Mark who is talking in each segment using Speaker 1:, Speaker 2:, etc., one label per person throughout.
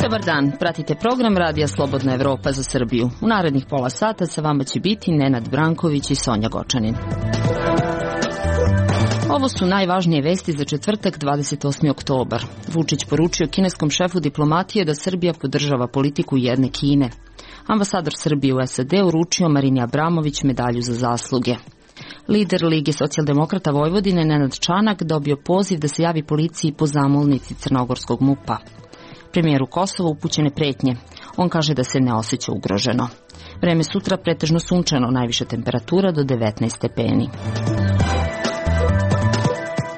Speaker 1: Dobar dan, pratite program Radija Slobodna Evropa za Srbiju. U narednih pola sata sa vama će biti Nenad Branković i Sonja Gočanin. Ovo su najvažnije vesti za četvrtak 28. oktobar. Vučić poručio kineskom šefu diplomatije da Srbija podržava politiku jedne Kine. Ambasador Srbije u SAD uručio Marini Abramović medalju za zasluge. Lider Lige socijaldemokrata Vojvodine Nenad Čanak dobio poziv da se javi policiji po zamolnici crnogorskog MUP-a. Premijeru Kosova upućene pretnje. On kaže da se ne osjeća ugroženo. Vreme sutra pretežno sunčano, najviša temperatura do 19 stepeni.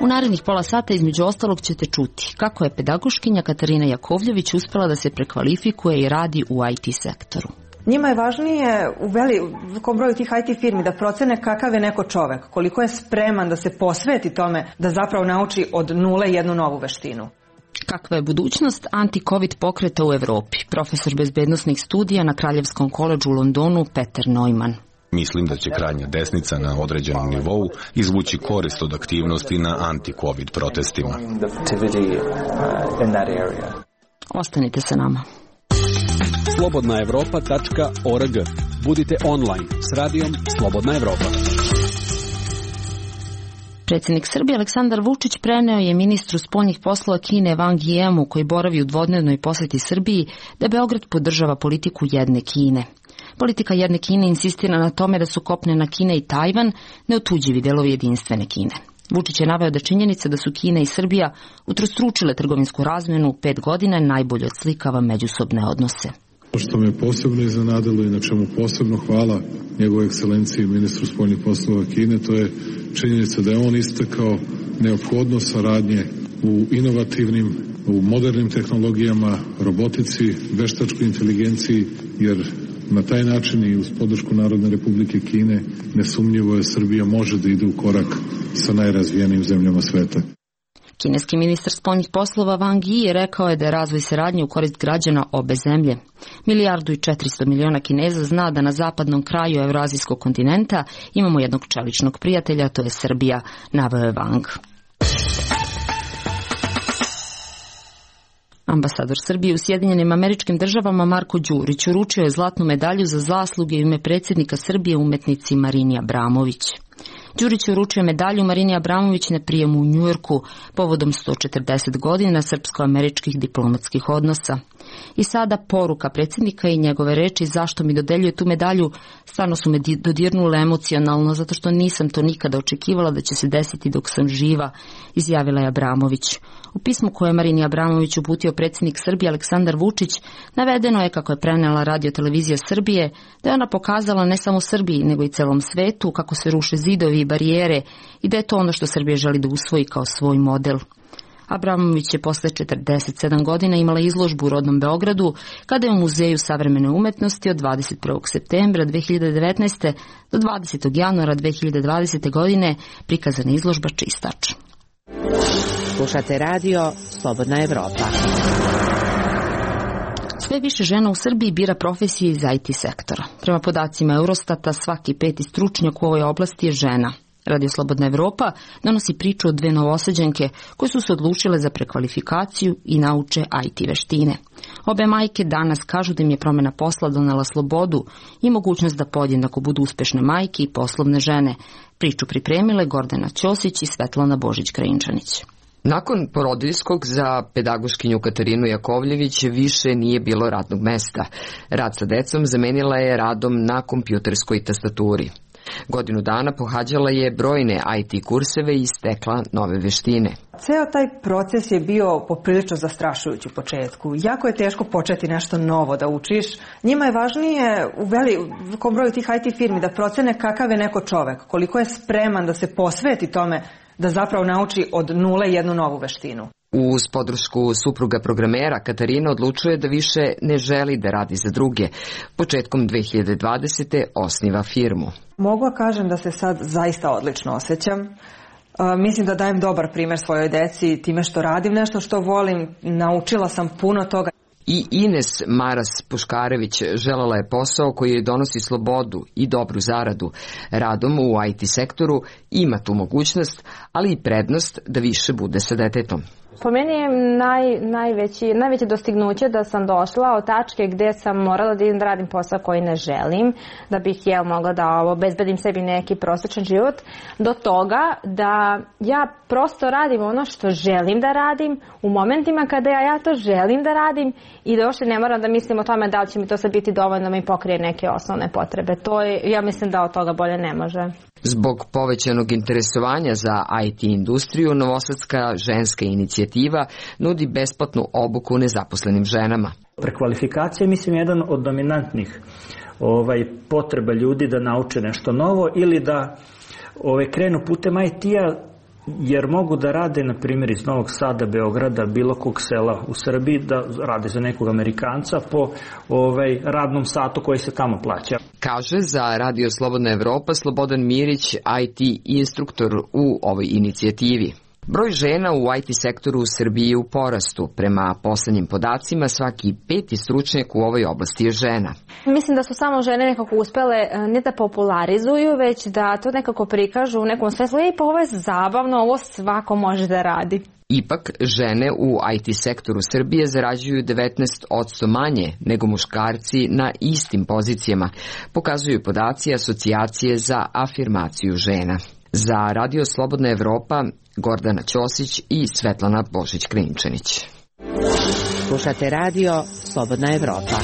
Speaker 1: U narednih pola sata između ostalog ćete čuti kako je pedagoškinja Katarina Jakovljević uspela da se prekvalifikuje i radi u IT sektoru.
Speaker 2: Njima je važnije u velikom broju tih IT firmi da procene kakav je neko čovek, koliko je spreman da se posveti tome da zapravo nauči od nule jednu novu veštinu.
Speaker 1: Kakva je budućnost anti-covid pokreta u Evropi? Profesor bezbednosnih studija na Kraljevskom koledžu u Londonu Peter Neumann.
Speaker 3: Mislim da će krajnja desnica na određenom nivou izvući korist od aktivnosti na anti-covid protestima.
Speaker 1: Ostanite sa nama.
Speaker 4: slobodnaevropa.org. Budite online s radijom Slobodna Evropa.
Speaker 1: Predsjednik Srbije Aleksandar Vučić preneo je ministru spoljnih poslova Kine Wang Yimu, koji boravi u dvodnevnoj posjeti Srbiji, da Beograd podržava politiku jedne Kine. Politika jedne Kine insistira na tome da su kopnena Kina i Tajvan neotuđivi delovi jedinstvene Kine. Vučić je naveo da činjenica da su Kina i Srbija utrostručile trgovinsku razmjenu u 5 godina najbolje odslikava međusobne odnose.
Speaker 5: Što me posebno iznenadilo i na čemu posebno hvala njegovoj ekscelenciji ministru spoljnih poslova Kine, to je činjenica da je on istakao neophodnost saradnje u inovativnim, u modernim tehnologijama, robotici, veštačkoj inteligenciji, jer na taj način i uz podršku Narodne Republike Kine nesumnjivo je Srbija može da ide u korak sa najrazvijenijim zemljama sveta.
Speaker 1: Kineski ministar spoljnih poslova Wang Yi rekao je da je razvoj saradnje u korist građana obe zemlje. 1,4 milijarde Kineza zna da na zapadnom kraju Evroazijskog kontinenta imamo jednog čeličnog prijatelja, to je Srbija, naveo je Wang. Ambasador Srbije u Sjedinjenim Američkim Državama Marko Đurić uručio je zlatnu medalju za zasluge u ime predsjednika Srbije umetnici Marini Abramović. Đurić je uručio medalju Marini Abramović na prijemu u Njujorku povodom 140 godina srpsko-američkih diplomatskih odnosa. I sada poruka predsjednika i njegove reči zašto mi dodeljuje tu medalju stvarno su me dodirnule emocionalno, zato što nisam to nikada očekivala da će se desiti dok sam živa, izjavila je Abramović. U pismu koje je Marini Abramović uputio predsjednik Srbije Aleksandar Vučić, navedeno je, kako je prenela Radio-televizija Srbije, da je ona pokazala ne samo Srbiji, nego i celom svetu kako se ruše zidovi i barijere i da je to ono što Srbija želi da usvoji kao svoj model. Abramović je posle 47 godina imala izložbu u rodnom Beogradu, kada je u Muzeju savremene umetnosti od 21. septembra 2019. do 20. januara 2020. godine prikazana izložba Čistač.
Speaker 6: Slušate radio Slobodna Evropa.
Speaker 1: Sve više žena u Srbiji bira profesije iz IT sektora. Prema podacima Eurostata, svaki 5. stručnjak u ovoj oblasti je žena. Radio Slobodna Evropa donosi priču o 2 novosađenke koje su se odlučile za prekvalifikaciju i nauče IT veštine. Obe majke danas kažu da im je promjena posla donela slobodu i mogućnost da podjednako budu uspešne majke i poslovne žene. Priču pripremile Gordana Ćosić i Svetlana Božić-Krajinčanić.
Speaker 7: Nakon porodiljskog za pedagoškinju Katarinu Jakovljević više nije bilo radnog mesta. Rad sa decom zamenila je radom na kompjuterskoj tastaturi. Godinu dana pohađala je brojne IT kurseve i stekla nove veštine.
Speaker 2: Ceo taj proces je bio poprilično zastrašujući u početku. Jako je teško početi nešto novo da učiš. Njima je važnije u velikom broju tih IT firmi da procene kakav je neko čovek, koliko je spreman da se posveti tome da zapravo nauči od nule jednu novu veštinu.
Speaker 7: Uz podršku supruga programera, Katarina odlučuje da više ne želi da radi za druge. Početkom 2020. osniva firmu.
Speaker 2: Mogu da kažem da se sad zaista odlično osjećam. Mislim da dajem dobar primjer svojoj deci time što radim nešto što volim. Naučila sam puno toga.
Speaker 7: I Ines Maras Puškarević želela je posao koji joj donosi slobodu i dobru zaradu. Radom u IT sektoru ima tu mogućnost, ali i prednost da više bude sa detetom.
Speaker 8: Po meni je najveće dostignuće da sam došla od tačke gde sam morala da idem da radim posao koji ne želim, da bih mogla da obezbedim sebi neki prosečan život, do toga da ja prosto radim ono što želim da radim u momentima kada ja to želim da radim i da uopšte ne moram da mislim o tome da li će mi to sad biti dovoljno da mi pokrije neke osnovne potrebe. To je, ja mislim da od toga bolje ne može.
Speaker 7: Zbog povećanog interesovanja za IT industriju, Novosadska ženska inicijativa nudi besplatnu obuku nezaposlenim ženama.
Speaker 9: Prekvalifikacija je, mislim, jedan od dominantnih potreba ljudi da nauče nešto novo ili da krenu putem IT-a, jer mogu da rade, na primjer, iz Novog Sada, Beograda, bilo kog sela u Srbiji, da rade za nekog Amerikanca po radnom satu koji se tamo plaća.
Speaker 7: Kaže za Radio Slobodna Evropa Slobodan Mirić, IT instruktor u ovoj inicijativi. Broj žena u IT sektoru u Srbiji je u porastu. Prema poslednjim podacima, svaki 5. stručnjak u ovoj oblasti je žena.
Speaker 8: Mislim da su samo žene nekako uspele ne da popularizuju, već da to nekako prikažu u nekom svetlu. Pa ovo je zabavno, ovo svako može da radi.
Speaker 7: Ipak, žene u IT sektoru Srbije zarađuju 19% manje nego muškarci na istim pozicijama, pokazuju podaci Asocijacije za afirmaciju žena. Za Radio Slobodna Evropa, Gordana Ćosić i Svetlana Božić-Krinčanić.
Speaker 6: Slušate Radio Slobodna Evropa.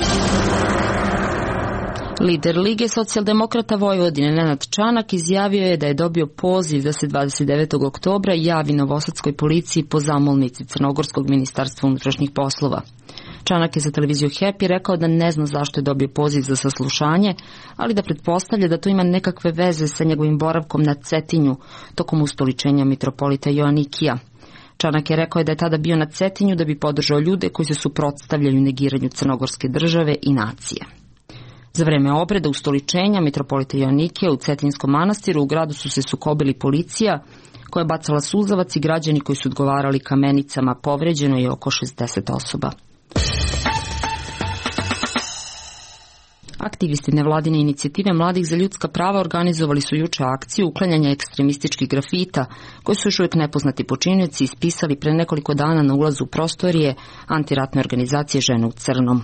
Speaker 1: Lider Lige socijaldemokrata Vojvodine Nenad Čanak izjavio je da je dobio poziv da se 29. oktobra javi novosadskoj policiji po zamolnici Crnogorskog ministarstva unutrašnjih poslova. Čanak je za televiziju Happy rekao da ne zna zašto je dobio poziv za saslušanje, ali da pretpostavlja da to ima nekakve veze sa njegovim boravkom na Cetinju tokom ustoličenja mitropolita Joanikija. Čanak je rekao da je tada bio na Cetinju da bi podržao ljude koji se suprotstavljaju negiranju crnogorske države i nacije. Za vreme obreda ustoličenja mitropolita Joanikija u Cetinskom manastiru u gradu su se sukobili policija koja je bacala suzavac i građani koji su odgovarali kamenicama. Povređeno je oko 60 osoba. Aktivisti nevladine inicijative Mladih za ljudska prava organizovali su juče akciju uklanjanja ekstremističkih grafita, koji su još uvijek nepoznati počinioci ispisali pre nekoliko dana na ulazu prostorije antiratne organizacije Žene u crnom.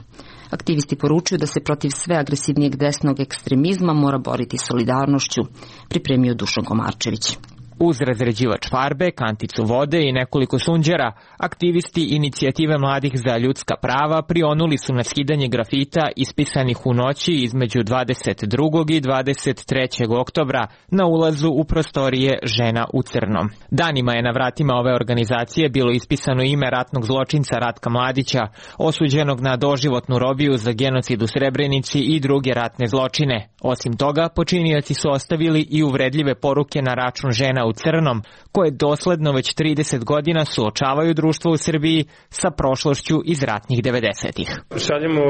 Speaker 1: Aktivisti poručuju da se protiv sve agresivnijeg desnog ekstremizma mora boriti solidarnošću, pripremio Dušan Komarčević.
Speaker 10: Uz razređivač farbe, kanticu vode i nekoliko sunđera, aktivisti inicijative Mladih za ljudska prava prionuli su na skidanje grafita ispisanih u noći između 22. i 23. oktobra na ulazu u prostorije Žena u crnom. Danima je na vratima ove organizacije bilo ispisano ime ratnog zločinca Ratka Mladića, osuđenog na doživotnu robiju za genocid u Srebrenici i druge ratne zločine. Osim toga, počinioci su ostavili i uvredljive poruke na račun Žena u crnom, koje dosledno već 30 godina suočavaju društvo u Srbiji sa prošlošću iz ratnih 90-ih.
Speaker 11: Šaljemo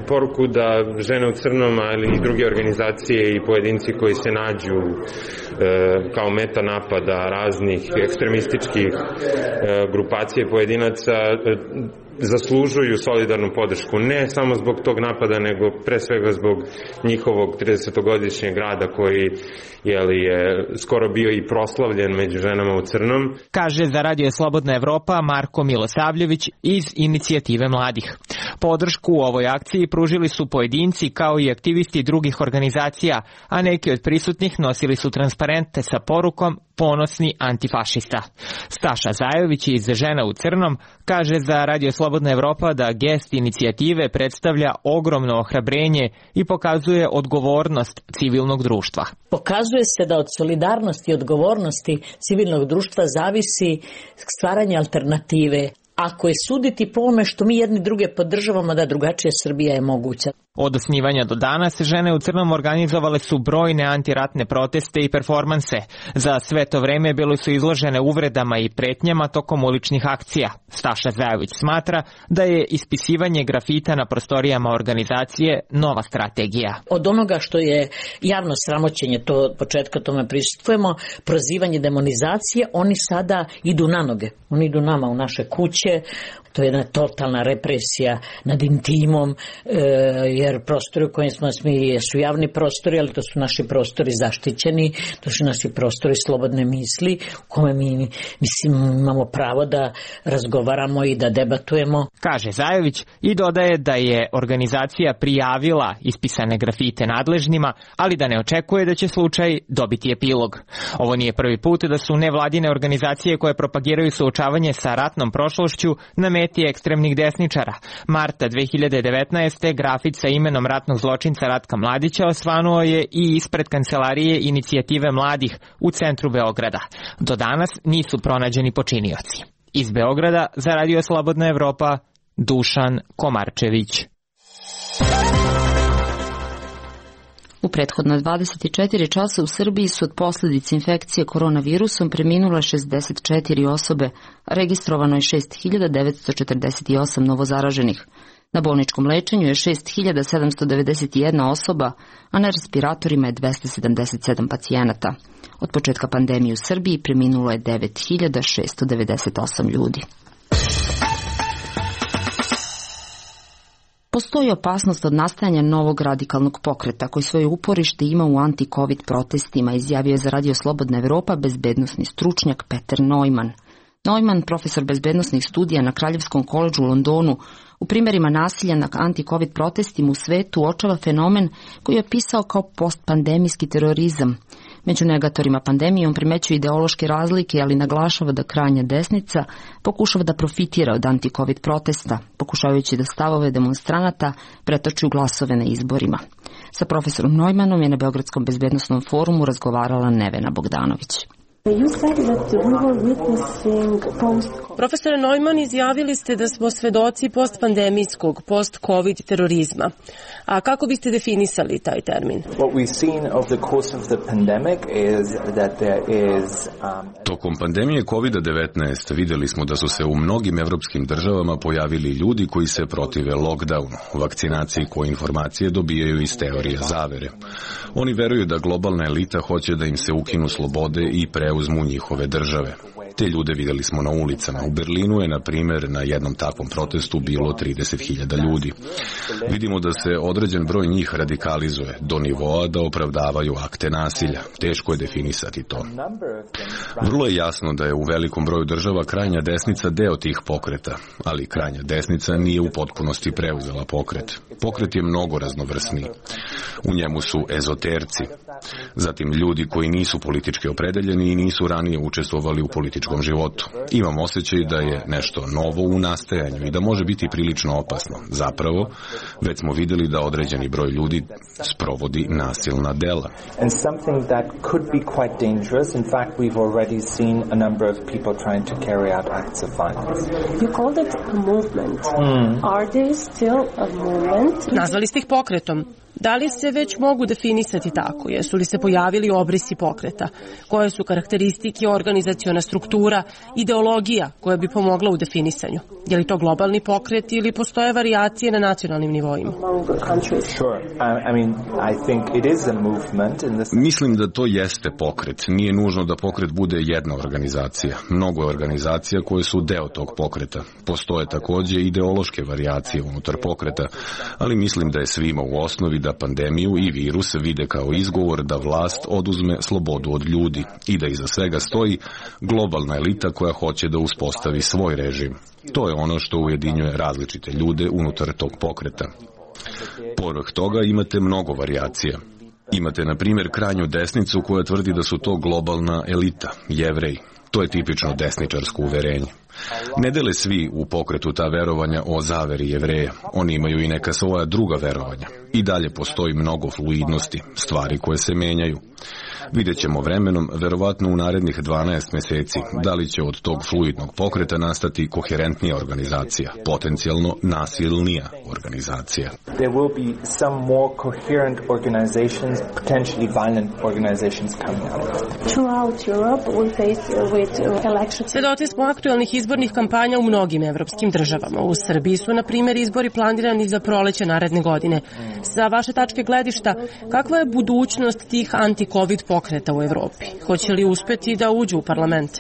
Speaker 11: poruku da Žene u crnom, ali i druge organizacije i pojedinci koji se nađu kao meta napada raznih ekstremističkih grupacija i pojedinaca zaslužuju solidarnu podršku, ne samo zbog tog napada, nego pre svega zbog njihovog 30-godišnjeg rada koji je skoro bio i proslavljen među ženama u crnom.
Speaker 10: Kaže za Radio Slobodna Evropa Marko Milosavljević iz inicijative Mladih. Podršku u ovoj akciji pružili su pojedinci kao i aktivisti drugih organizacija, a neki od prisutnih nosili su transparente sa porukom Ponosni antifašista. Staša Zajović iz Žena u crnom kaže za Radio Slobodna Evropa da gest inicijative predstavlja ogromno ohrabrenje i pokazuje odgovornost civilnog društva.
Speaker 12: Pokazuje se da od solidarnosti i odgovornosti civilnog društva zavisi stvaranje alternative. Ako je suditi po ome što mi jedni druge podržavamo, da drugačija Srbija je moguća.
Speaker 10: Od osnivanja do danas Žene u crnom organizovale su brojne antiratne proteste i performanse. Za sve to vreme bile su izložene uvredama i pretnjama tokom uličnih akcija. Staša Zajović smatra da je ispisivanje grafita na prostorijama organizacije nova strategija.
Speaker 12: Od onoga što je javno sramoćenje, to od početka tome prisustvujemo, prozivanje, demonizacije, oni sada idu na noge. Oni idu nama u naše kuće, To je jedna totalna represija nad intimom, jer prostori u kojim smo mi su javni prostori, ali to su naši prostori zaštićeni, to su naši prostori slobodne misli, u kome mi imamo pravo da razgovaramo i da debatujemo.
Speaker 10: Kaže Zajović i dodaje da je organizacija prijavila ispisane grafite nadležnima, ali da ne očekuje da će slučaj dobiti epilog. Ovo nije prvi put da su nevladine organizacije koje propagiraju suočavanje sa ratnom prošlošću na meti ekstremnih desničara. Marta 2019. grafit sa imenom ratnog zločinca Ratka Mladića osvanuo je i ispred kancelarije Inicijative mladih u centru Beograda. Do danas nisu pronađeni počinioci. Iz Beograda za Radio Slobodna Evropa, Dušan Komarčević.
Speaker 1: U prethodna 24 časa u Srbiji su od posljedice infekcije koronavirusom preminule 64 osobe, a registrovano je 6.948 novozaraženih. Na bolničkom lečenju je 6.791 osoba, a na respiratorima je 277 pacijenata. Od početka pandemije u Srbiji preminulo je 9.698 ljudi. Postoji opasnost od nastajanja novog radikalnog pokreta koji svoje uporište ima u anti-covid protestima, izjavio je za Radio Slobodna Evropa bezbednosni stručnjak Peter Neumann. Neumann, profesor bezbednosnih studija na Kraljevskom koledžu u Londonu, u primjerima nasilja na anti-covid protestima u svetu uočava fenomen koji je opisao kao postpandemijski terorizam. Među negatorima pandemije on primećuje ideološke razlike, ali naglašava da krajnja desnica pokušava da profitira od anti-covid protesta, pokušavajući da stavove demonstranata pretoči u glasove na izborima. Sa profesorom Neumannom je na Beogradskom bezbednosnom forumu razgovarala Nevena Bogdanović.
Speaker 13: Profesore Neumann, izjavili ste da smo svedoci postpandemijskog, post-covid terorizma. A kako biste definisali taj termin?
Speaker 3: Tokom pandemije COVID-19 vidjeli smo da su se u mnogim evropskim državama pojavili ljudi koji se protive lockdownu, vakcinaciji koje informacije dobijaju iz teorija zavere. Oni veruju da globalna elita hoće da im se ukinu slobode i preuzmu njihove države. Te ljude vidjeli smo na ulicama. U Berlinu je, na primjer, na jednom takvom protestu bilo 30.000 ljudi. Vidimo da se određen broj njih radikalizuje do nivoa da opravdavaju akte nasilja. Teško je definisati to. Vrlo je jasno da je u velikom broju država krajnja desnica deo tih pokreta, ali krajnja desnica nije u potpunosti preuzela pokret. Pokret je mnogo raznovrsniji. U njemu su ezoterci, zatim ljudi koji nisu politički opredeljeni i nisu ranije učestvovali u političkom životu. Imam osjećaj da je nešto novo u nastajanju i da može biti prilično opasno. Zapravo, već smo vidjeli da određeni broj ljudi sprovodi nasilna dela.
Speaker 13: Nazvali ste ih pokretom. Da li se već mogu definisati tako? Jesu li se pojavili obrisi pokreta? Koje su karakteristike, organizaciona struktura, ideologija koja bi pomogla u definisanju? Je li to globalni pokret ili postoje varijacije na nacionalnim nivoima?
Speaker 3: Mislim da to jeste pokret. Nije nužno da pokret bude jedna organizacija. Mnogo je organizacija koje su deo tog pokreta. Postoje također ideološke varijacije unutar pokreta, ali mislim da je svima u osnovi da pandemiju i virus vide kao izgovor da vlast oduzme slobodu od ljudi i da iza svega stoji globalna elita koja hoće da uspostavi svoj režim. To je ono što ujedinjuje različite ljude unutar tog pokreta. Povrh toga imate mnogo varijacija. Imate, na primjer, krajnju desnicu koja tvrdi da su to globalna elita, Jevreji. To je tipično desničarsko uverenje. Ne dele svi u pokretu ta verovanja o zaveri Jevreja. Oni imaju i neka svoja druga verovanja. I dalje postoji mnogo fluidnosti, stvari koje se menjaju. Vidjet ćemo vremenom, verovatno u narednih 12 mjeseci, da li će od tog fluidnog pokreta nastati koherentnija organizacija, potencijalno nasilnija organizacija.
Speaker 14: There will be some more coherent organizations, potentially violent organizations coming out.
Speaker 13: Throughout Europe we face with elections. Svedoci smo aktualnih izbornih kampanja u mnogim evropskim državama. U Srbiji su, na primjer, izbori planirani za proleće naredne godine. Sa vaše tačke gledišta, kakva je budućnost tih anti-covid pokreta pokreta u Evropi? Hoće li uspeti da uđu u parlament?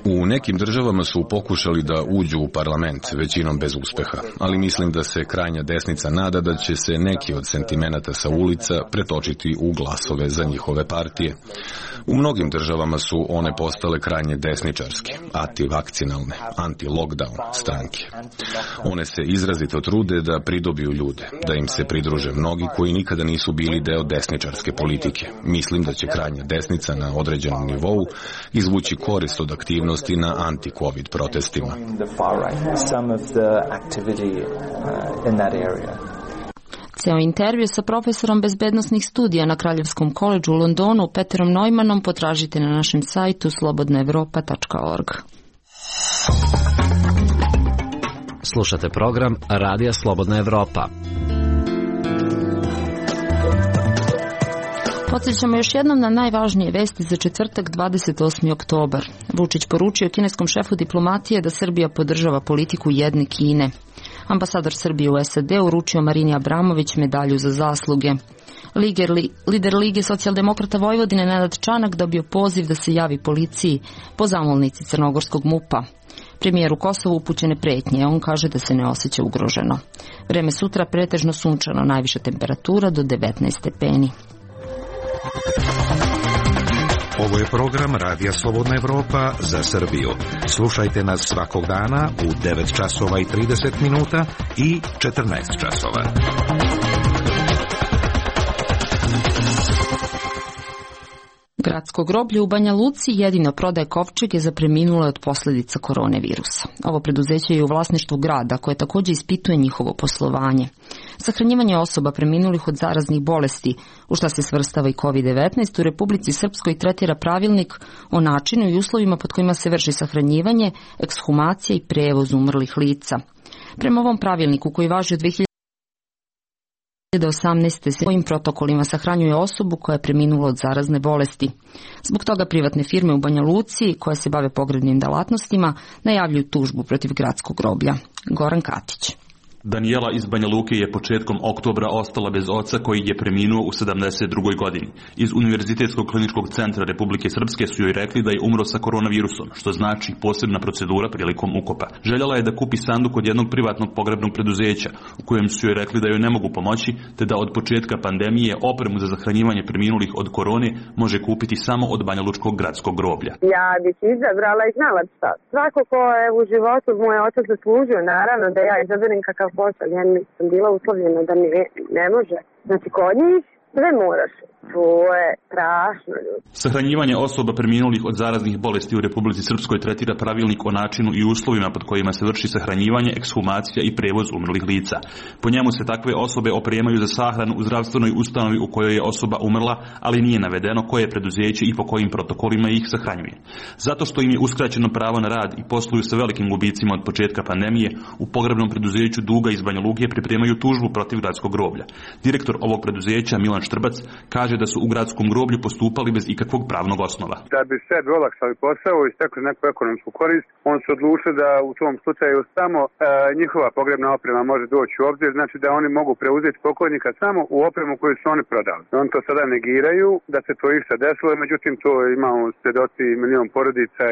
Speaker 3: U nekim državama su pokušali da uđu u parlament, većinom bez uspeha, ali mislim da se krajnja desnica nada da će se neki od sentimenata sa ulica pretočiti u glasove za njihove partije. U mnogim državama su one postale krajnje desničarske, antivakcinalne, anti-lockdown stranke. One se izrazito trude da pridobiju ljude, da im se pridruže mnogi koji nikada nisu bili deo desničarske politike. Mislim da će krajnja desnica na određenom nivou izvući korist od aktivnosti na anti-covid protestima.
Speaker 1: Ceo intervju sa profesorom bezbednosnih studija na Kraljevskom koledžu u Londonu, Peterom Neumannom, potražite na našem sajtu slobodnaevropa.org.
Speaker 15: Slušate program Radija Slobodna Evropa.
Speaker 1: Podsjećamo još jednom na najvažnije vesti za četvrtak 28. oktobar. Vučić poručio kineskom šefu diplomatije da Srbija podržava politiku jedne Kine. Ambasador Srbije u SAD uručio Marini Abramović medalju za zasluge. Lider Lige socijaldemokrata Vojvodine Nenad Čanak dobio poziv da se javi policiji po zamolnici crnogorskog MUP-a. Premijeru Kosovu upućene pretnje, on kaže da se ne osjeća ugroženo. Vreme sutra pretežno sunčano, najviša temperatura do 19 stepeni.
Speaker 16: Ovo je program Radija Slobodna Evropa za Srbiju. Slušajte nas svakog dana u 9 časova i 30 minuta i 14 časova.
Speaker 1: Gradsko groblje u Banja Luci jedino prodaje kovčege za preminule od posljedica koronavirusa. Ovo preduzeće je u vlasništvu grada koje također ispituje njihovo poslovanje. Sahranjivanje osoba preminulih od zaraznih bolesti, u šta se svrstava i COVID-19, u Republici Srpskoj tretira pravilnik o načinu i uslovima pod kojima se vrši sahranjivanje, ekshumacija i prevoz umrlih lica. Prema ovom pravilniku koji važi od 2018. se svojim protokolima sahranjuje osobu koja je preminula od zarazne bolesti. Zbog toga privatne firme u Banja Luci, koje se bave pogrebnim delatnostima, najavljuju tužbu protiv gradskog groblja. Goran Katić.
Speaker 17: Danijela iz Banja Luke je početkom oktobra ostala bez oca koji je preminuo u 72. godini. Iz Univerzitetskog kliničkog centra Republike Srpske su joj rekli da je umro sa koronavirusom, što znači posebna procedura prilikom ukopa. Željela je da kupi sanduk od jednog privatnog pogrebnog preduzeća, u kojem su joj rekli da joj ne mogu pomoći, te da od početka pandemije opremu za zahranjivanje preminulih od korone može kupiti samo od Banja Lučkog gradskog groblja.
Speaker 18: Ja bih izabrala i znala šta. Svako ko je u životu moj otac zaslužio, naravno da ja izaberem kakav posao. Ja nisam bila uslovljena da mi ne može. Znači kod njih sve moraš. To je strašno, ljudi.
Speaker 17: Sahranjivanje osoba preminulih od zaraznih bolesti u Republici Srpskoj tretira pravilnik o načinu i uslovima pod kojima se vrši sahranjivanje, ekshumacija i prevoz umrlih lica. Po njemu se takve osobe opremaju za sahranu u zdravstvenoj ustanovi u kojoj je osoba umrla, ali nije navedeno koje preduzeće i po kojim protokolima ih sahranjuje. Zato što im je uskraćeno pravo na rad i posluju sa velikim gubicima od početka pandemije, u pogrebnom preduzeću Duga iz Banja Luke pripremaju tužbu protiv gradskog groblja. Direktor ovog preduzeća Milan Štrbac kaže da su u gradskom groblju postupali bez ikakvog pravnog osnova.
Speaker 19: Da bi sebi olakšali posao i stekli neku ekonomsku korist, on su odlučili da u tom slučaju samo njihova pogrebna oprema može doći u obzir, znači da oni mogu preuzeti pokojnika samo u opremu koju su oni prodali. Oni to sada negiraju da se to išta desilo, međutim to imamo svjedoci milion porodica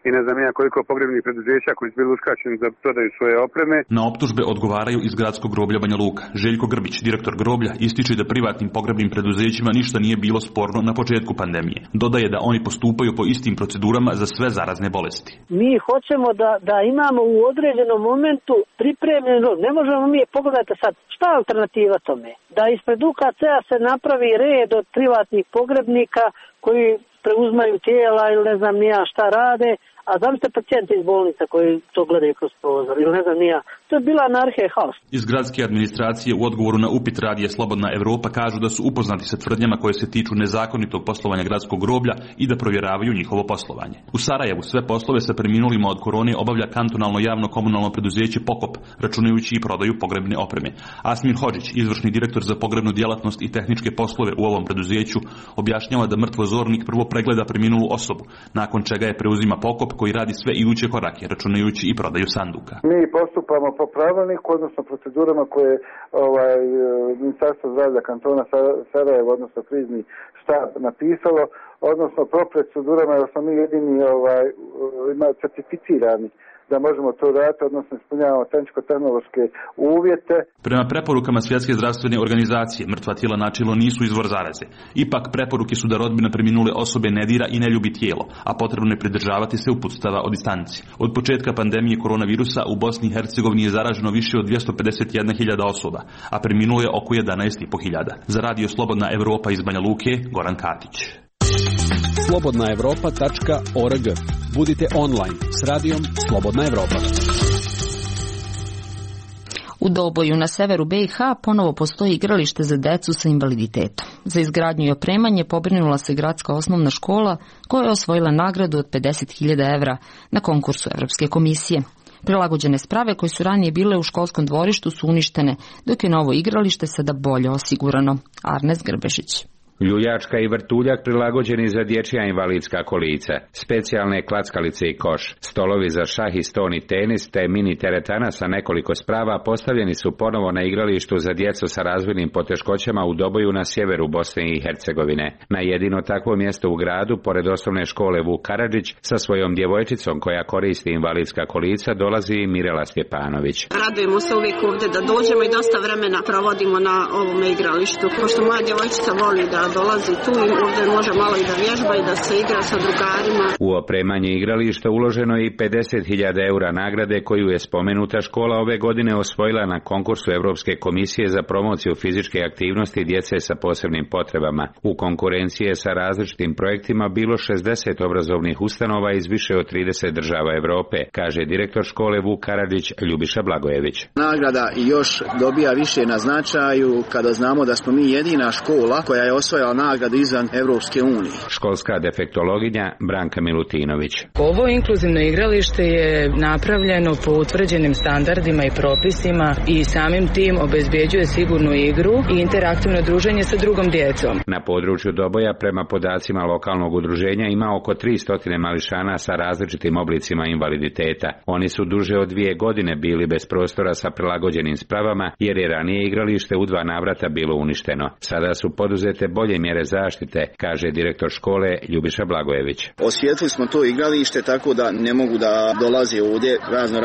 Speaker 19: i ne znam ja koliko pogrebnih preduzeća koji su bili uskraćeni da prodaju svoje opreme.
Speaker 17: Na optužbe odgovaraju iz gradskog groblja Banja Luka. Željko Grbić, direktor groblja, ističe da privatnim pogrebnim preduzećima ništa nije bilo sporno na početku pandemije. Dodaje da oni postupaju po istim procedurama za sve zarazne bolesti.
Speaker 20: Mi hoćemo da imamo u određenom momentu pripremljeno, ne možemo mi, pogledajte sad, šta je alternativa tome? Da ispred UKC-a se napravi red od privatnih pogrebnika koji preuzmaju tijela ili ne znam nija šta rade, a zamislite pacijente iz bolnica koji to gledaju kroz prozor ili ne znam nija. To je bila anarhija i haos.
Speaker 17: Iz gradske administracije u odgovoru na upit Radija Slobodna Evropa kažu da su upoznati sa tvrdnjama koje se tiču nezakonitog poslovanja gradskog groblja i da provjeravaju njihovo poslovanje. U Sarajevu sve poslove sa preminulima od korone obavlja kantonalno javno komunalno preduzeće Pokop, računajući i prodaju pogrebne opreme. Asmin Hodžić, izvršni direktor za pogrebnu djelatnost i tehničke poslove u ovom preduzeću, objašnjava da mrtvozornik prvo pregleda preminulu osobu, nakon čega je preuzima Pokop koji radi sve iduće korake, računajući i prodaju sanduka.
Speaker 21: Mi postupamo po pravilniku, odnosno procedurama koje Ministarstvo zdravlja kantona Sarajevo, odnosno krizni štab napisalo, odnosno po procedurama, jer smo mi jedini certificirani da možemo to raditi, odnosno ispunjavamo tehničko-tehnološke uvjete.
Speaker 17: Prema preporukama Svjetske zdravstvene organizacije, mrtva tijela načelo nisu izvor zaraze. Ipak preporuke su da rodbina preminule osobe ne dira i ne ljubi tijelo, a potrebno je pridržavati se uputstava o distanci. Od početka pandemije koronavirusa u Bosni i Hercegovini je zaraženo više od 251.000 osoba, a preminulo je oko 11.500. Za Radio Slobodna Evropa iz Banja Luke, Goran Katić.
Speaker 4: slobodnaevropa.org. Budite online s radijom Slobodna Evropa.
Speaker 1: U Doboju na severu BiH ponovo postoji igralište za decu sa invaliditetom. Za izgradnju i opremanje pobrinula se gradska osnovna škola koja je osvojila nagradu od 50.000 evra na konkursu Evropske komisije. Prilagođene sprave koje su ranije bile u školskom dvorištu su uništene, dok je novo igralište sada bolje osigurano. Arnes Grbešić.
Speaker 22: Ljuljačka i vrtuljak prilagođeni za dječja invalidska kolica, specijalne klackalice i koš, stolovi za šah i ston i tenis te mini teretana sa nekoliko sprava postavljeni su ponovo na igralištu za djecu sa razvojnim poteškoćama u Doboju na sjeveru Bosne i Hercegovine. Na jedino takvo mjesto u gradu, pored osnovne škole Vuk Karadžić, sa svojom djevojčicom koja koristi invalidska kolica dolazi i Mirela Stjepanović.
Speaker 23: Radujemo se uvijek ovdje da dođemo i dosta vremena provodimo na ovome igralištu. Pošto moja djevojčica voli da dolazi tu i ovdje može malo i da vježba i da se igra sa drugarima.
Speaker 22: U opremanje igrališta uloženo je i 50.000 eura nagrade koju je spomenuta škola ove godine osvojila na konkursu Evropske komisije za promociju fizičke aktivnosti djece sa posebnim potrebama. U konkurenciji sa različitim projektima bilo 60 obrazovnih ustanova iz više od 30 država Europe, kaže direktor škole Vuk Karadžić Ljubiša Blagojević.
Speaker 24: Nagrada još dobija više na značaju kada znamo da smo mi jedina škola koja je osvojila nagradu izvan Evropske unije.
Speaker 22: Školska defektologinja Branka Milutinović.
Speaker 25: Ovo inkluzivno igralište je napravljeno po utvrđenim standardima i propisima i samim tim obezbeđuje sigurnu igru i interaktivno druženje sa drugom djecom.
Speaker 22: Na području Doboja prema podacima lokalnog udruženja ima oko 300 mališana sa različitim oblicima invaliditeta. Oni su duže od 2 godine bili bez prostora sa prilagođenim spravama jer je ranije igralište u 2 navrata bilo uništeno. Sada su poduzete bolje mjere zaštite, kaže direktor škole Ljubiša Blagojević.
Speaker 24: Osvijetlili smo to igralište tako da ne mogu da dolaze ovdje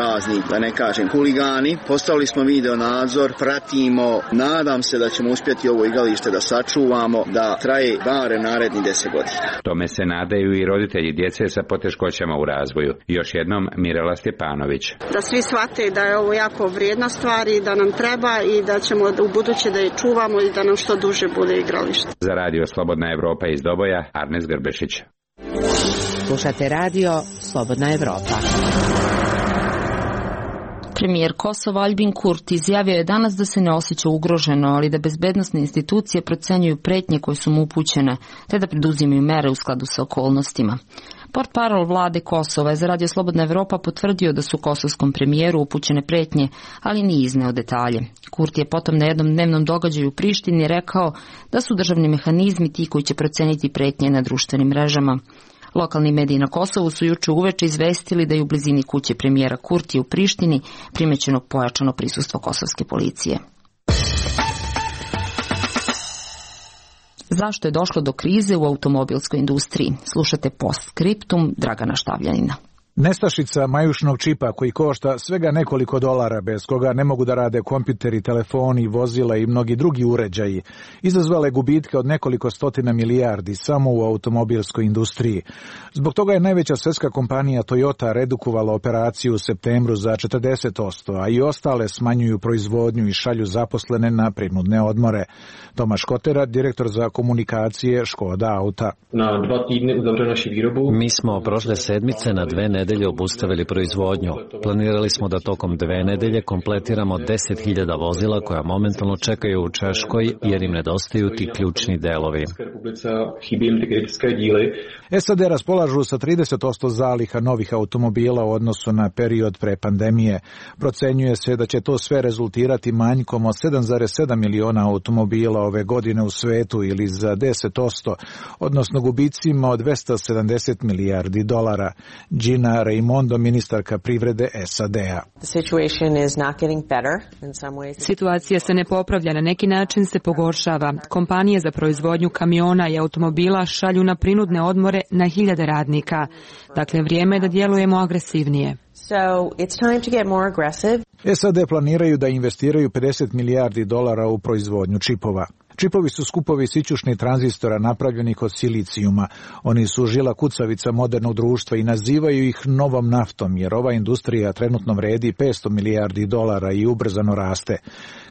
Speaker 24: razni, da ne kažem, huligani. Postavili smo video nadzor, pratimo, nadam se da ćemo uspjeti ovo igralište da sačuvamo, da traje bare naredni 10 godina.
Speaker 22: Tome se nadaju i roditelji djece sa poteškoćama u razvoju. Još jednom Mirela Stjepanović.
Speaker 23: Da svi shvate da je ovo jako vrijedna stvar i da nam treba i da ćemo u buduće da je čuvamo i da nam što duže bude igralište.
Speaker 22: Za Radio Slobodna Evropa iz Doboja, Arnes Grbešić.
Speaker 6: Slušate Radio Slobodna Evropa.
Speaker 1: Premijer Kosova Aljbin Kurti izjavio je danas da se ne osjeća ugroženo, ali da bezbednosne institucije procenjuju pretnje koje su mu upućene, te da preduzimaju mere u skladu sa okolnostima. Portparol vlade Kosova je za Radio Slobodna Evropa potvrdio da su kosovskom premijeru upućene pretnje, ali nije izneo detalje. Kurti je potom na jednom dnevnom događaju u Prištini rekao da su državni mehanizmi ti koji će proceniti pretnje na društvenim mrežama. Lokalni mediji na Kosovu su juče uveče izvestili da je u blizini kuće premijera Kurtija u Prištini primećeno pojačano prisustvo kosovske policije. Zašto je došlo do krize u automobilskoj industriji? Slušate postskriptum Dragana Štavljanina.
Speaker 26: Nestašica majušnog čipa koji košta svega nekoliko dolara, bez koga ne mogu da rade kompjuteri, telefoni, vozila i mnogi drugi uređaji, izazvale gubitke od nekoliko stotina milijardi samo u automobilskoj industriji. Zbog toga je najveća svjetska kompanija Toyota redukovala operaciju u septembru za 40%, a i ostale smanjuju proizvodnju i šalju zaposlene na prinudne odmore. Tomaš Kotera, direktor za komunikacije Škoda Auta.
Speaker 15: Mi smo prošle sedmice na 2 nedelje obustavili proizvodnju. Planirali smo da tokom 2 nedelje kompletiramo 10.000 vozila koja momentalno čekaju u Češkoj jer im nedostaju ti ključni delovi.
Speaker 26: SAD raspolažu sa 30% zaliha novih automobila u odnosu na period pre pandemije. Procenjuje se da će to sve rezultirati manjkom od 7,7 miliona automobila ove godine u svetu ili za 10%, odnosno gubicima od $270 milijardi. Gina Gina Raimondo, ministarka privrede SAD-a.
Speaker 2: Situacija se ne popravlja, na neki način se pogoršava. Kompanije za proizvodnju kamiona i automobila šalju na prinudne odmore na hiljade radnika. Dakle, vrijeme je da djelujemo agresivnije.
Speaker 26: SAD planiraju da investiraju $50 milijardi u proizvodnju čipova. Čipovi su skupovi sićušnih tranzistora napravljenih od silicijuma. Oni su žila kucavica modernog društva i nazivaju ih novom naftom, jer ova industrija trenutno vredi $500 milijardi i ubrzano raste.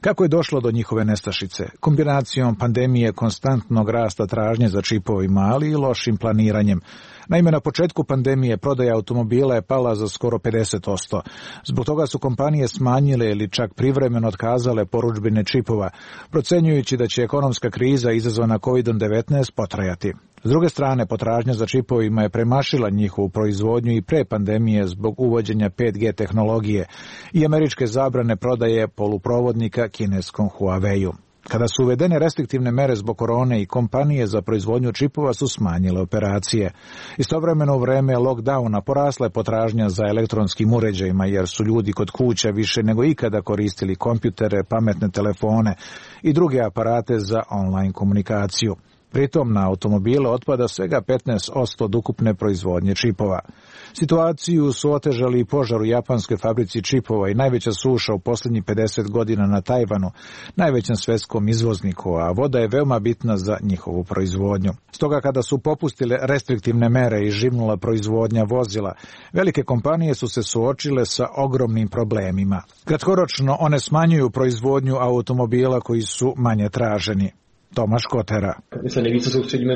Speaker 26: Kako je došlo do njihove nestašice? Kombinacijom pandemije, konstantnog rasta tražnje za čipovima, ali i lošim planiranjem. Naime, na početku pandemije prodaja automobila je pala za skoro 50%. Zbog toga su kompanije smanjile ili čak privremeno otkazale porudžbine čipova, procenjujući da će ekonomska kriza izazvana COVID-19 potrajati. S druge strane, potražnja za čipovima je premašila njihovu proizvodnju i pre pandemije zbog uvođenja 5G tehnologije i američke zabrane prodaje poluprovodnika kineskom Huawei-u. Kada su uvedene restriktivne mere zbog korone i kompanije za proizvodnju čipova su smanjile operacije. Istovremeno u vreme lockdowna porasla je potražnja za elektronskim uređajima jer su ljudi kod kuća više nego ikada koristili kompjutere, pametne telefone i druge aparate za online komunikaciju. Pritom na automobile otpada svega 15% od ukupne proizvodnje čipova. Situaciju su otežali i požar u japanskoj fabrici čipova i najveća suša u posljednjih 50 godina na Tajvanu, najvećem svjetskom izvozniku, a voda je veoma bitna za njihovu proizvodnju. Stoga kada su popustile restriktivne mere i živnula proizvodnja vozila, velike kompanije su se suočile sa ogromnim problemima. Kratkoročno one smanjuju proizvodnju automobila koji su manje traženi. Tomaš Kotera.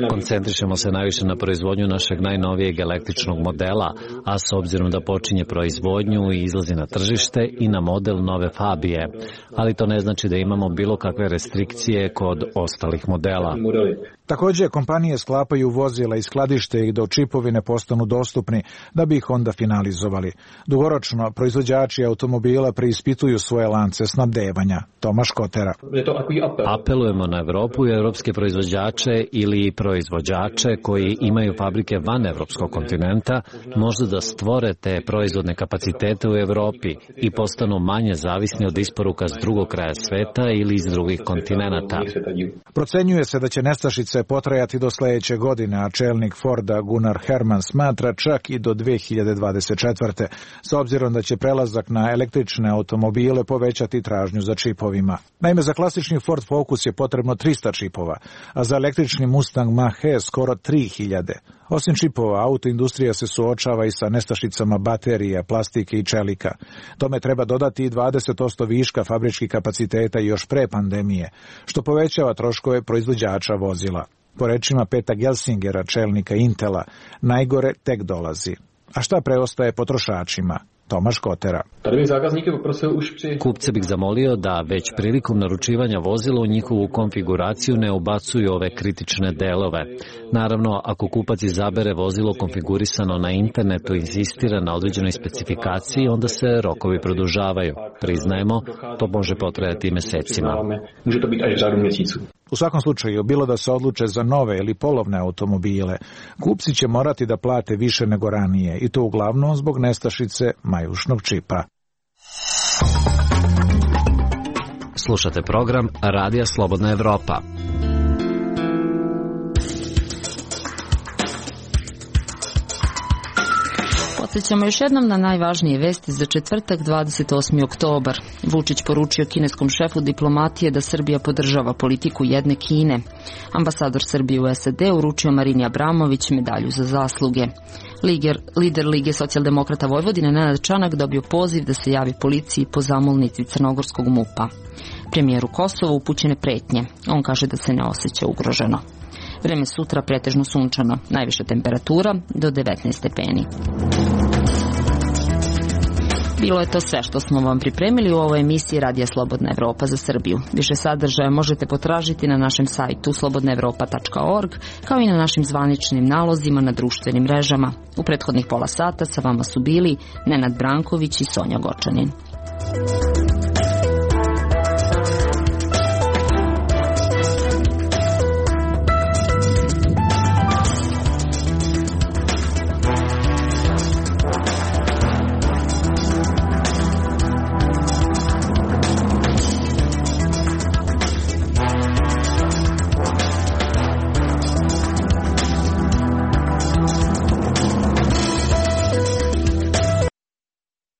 Speaker 15: Koncentrišemo se najviše na proizvodnju našeg najnovijeg električnog modela, a s obzirom da počinje proizvodnju i izlazi na tržište i na model nove Fabije. Ali to ne znači da imamo bilo kakve restrikcije kod ostalih modela.
Speaker 26: Također, kompanije sklapaju vozila i skladište ih dok čipovi ne postanu dostupni, da bi ih onda finalizovali. Dugoročno, proizvođači automobila preispituju svoje lance snabdevanja. Tomaš Kotera.
Speaker 15: Apelujemo na Evropu i evropske proizvođače ili proizvođače koji imaju fabrike van evropskog kontinenta, možda da stvore te proizvodne kapacitete u Evropi i postanu manje zavisni od isporuka s drugog kraja sveta ili iz drugih kontinenata.
Speaker 26: Procenjuje se da će nestašice potrajati do sljedeće godine, a čelnik Forda Gunnar Herman smatra čak i do 2024. s obzirom da će prelazak na električne automobile povećati tražnju za čipovima. Naime, za klasični Ford Focus je potrebno 300 čipova, a za električni Mustang Mach-E skoro 3000. Osim čipova, autoindustrija se suočava i sa nestašicama baterija, plastike i čelika. Tome treba dodati i 20% viška fabričkih kapaciteta još pre pandemije, što povećava troškove proizvođača vozila. Po rečima Peta Gelsingera, čelnika Intela, najgore tek dolazi. A šta preostaje potrošačima? Tomaš Kotera.
Speaker 15: Kupce bih zamolio da već prilikom naručivanja vozila u njihovu konfiguraciju ne ubacuju ove kritične delove. Naravno, ako kupac izabere vozilo konfigurisano na internetu i insistira na određenoj specifikaciji, onda se rokovi produžavaju. Priznajemo, to može potrajati mesecima.
Speaker 26: U svakom slučaju, bilo da se odluče za nove ili polovne automobile, kupci će morati da plate više nego ranije i to uglavnom zbog nestašice majušnog čipa.
Speaker 15: Slušate program Radija Slobodna Evropa.
Speaker 1: Podsjećamo još jednom na najvažnije vesti za četvrtak 28. oktobar. Vučić poručio kineskom šefu diplomatije da Srbija podržava politiku jedne Kine. Ambasador Srbije u SAD uručio Marini Abramović medalju za zasluge. Lider Lige socijaldemokrata Vojvodine Nenad Čanak dobio poziv da se javi policiji po zamolnici crnogorskog MUP-a. Premijeru Kosova upućene pretnje. On kaže da se ne osjeća ugroženo. Vreme sutra pretežno sunčano, najviša temperatura do 19 stepeni. Bilo je to sve što smo vam pripremili u ovoj emisiji Radija Slobodna Evropa za Srbiju. Više sadržaja možete potražiti na našem sajtu slobodnaevropa.org, kao i na našim zvaničnim nalozima na društvenim mrežama. U prethodnih pola sata sa vama su bili Nenad Branković i Sonja Gočanin.